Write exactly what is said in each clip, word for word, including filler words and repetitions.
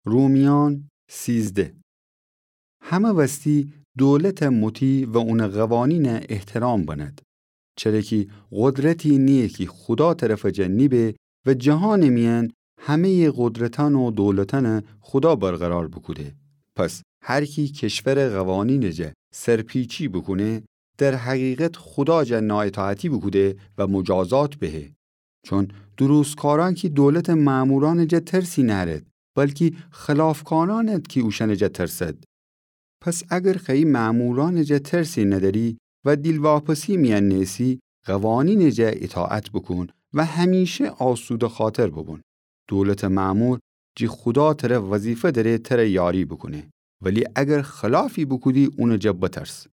رومیأن سیزده. همه وستی دولتٚ مطیع و اونٚ قوانینٚ احترام بنید. چره کی قدرتی نییه کی خودا طرفٚ جا نیبه و جهانٚ میأن همه‌یٚ قدرتأن و دولتأنٚ خودا برقرار بوکوده. پس هر کی کشورٚ قوانینٚ جا سرپیچی بوکونه، در حقیقت خودا جا نااطاعتی بوکوده و مجازات بهه. چون درستکارأن کی دولتٚ مأمورأنٚ جا ترسی نأرید، بلکی خلافکارأنید کی اوشأنٚ جا ترسید. پس اگر خوأیی مأمورأنٚ جا ترسی ندأری و دیلواپسی میأن نیسی، قوانینٚ جا اطاعت بوکون و همیشه آسوده‌خاطر بوبون. دولتٚ مأمور جی خودا تره وظیفه دأره تره یاری بوکونه، ولی اگر خلافی بوکودی اونٚ جا بترس.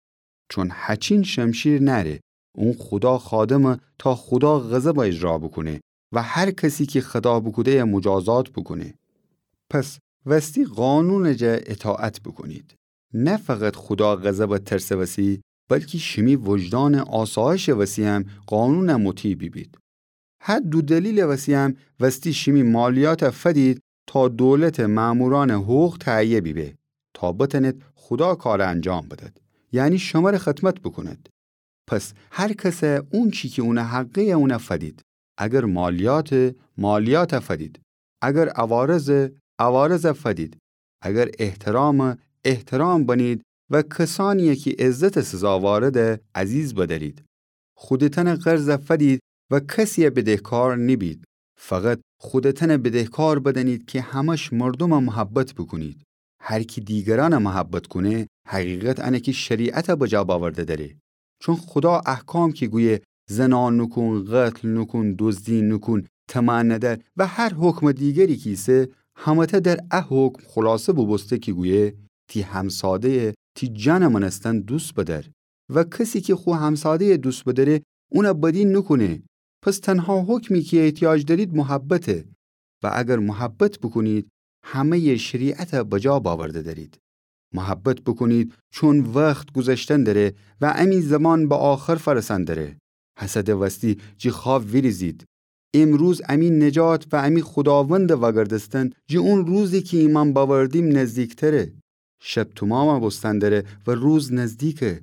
چون هچین شمشیر نأره، اون خودا خادمه تا خودا غضب اجرا بوکونه و هر کسی کی خطا بوکوده‌یه مجازات بوکونه. پس وستی قانونٚ جا اطاعت بوکونید. نه فقط خودا غضبٚ ترسٚ وسی، بلکی شیمی وجدانٚ آسایشٚ وسی هم قانونٚ مطیع بیبید. هه دو دلیلٚ وسی هم وستی شیمی مالیات فدید تا دولتٚ مأمورأنٚ حقوق تهیه بیبه، تا بتأنید خودا کار انجام بدید، یعنی شمره خدمت بوکونید. پس هر کسه اونچی کی اونٚ حقه اون فدید. اگر مالیاته، مالیات فدید. اگر عوارضه، عوارض فدید. اگر احترامه، احترام بنید و کسأنیی کی عزتٚ سزاوارده عزیز بدأرید. خودتأنٚ قرض فدید و کسیی بدهکار نیبید. فقط خودتأن بدهکار بدأنید کی همش مردوم محبت بوکونید. هر کی دیگرأن محبت کونه، حقیقت انه کی شریعت بجا باورده دأره. چون خودا احکام کی گویه زنا نوکون، قتل نوکون، دزدی نوکون، طمع ندأر و هر حکمٚ دیگری کی ایسه، همه‌تأ در ا حکم خلاصه بوبوسته کی گویه تی همساده‌یه تی جانٚ مأنستن دوست بدأر. و کسی کی خو همساده‌یه دوست بدأره، اون بدی نوکونه. پس تنها حکمی کی احتیاج دأرید محبته. و اگر محبت بوکونید، همه‌یٚ شریعت بجا باورده دأرید. محبت بوکونید، چون وخت گوذشتن دأره و امی زمان به آخر فأرسأن دأره. هسه د وستی جی خواب ویریزید. امروز امی نجات و امی خوداوندٚ وأگردستن جی اون روزی کی ایمأن بأوردیم نزدیکتره. شب تومام بوستن دأره و روز نزدیکه.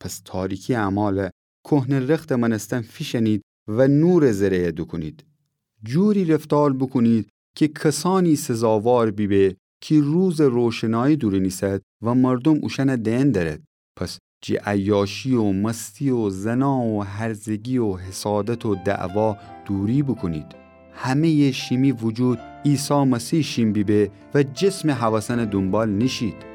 پس تاریکی اعمال کهنه رختٚ مأنستن فیشأنید و نورٚ ذره‌یه دوکونید. جوری رفتار بوکونید کی کسأنی سزاوار بیبه کی روزٚ روشنایی دورون ایسد و مردوم اوشأن دئن دأرد. پس جی عیاشی و مستی و زنا و هرزگی و حسادت و دعوا دوری بوکونید. همه‌یٚ شیمی وجود عیسی مسیح شین بیبه و جسمٚ هوسأنٚ دونبال نیشید.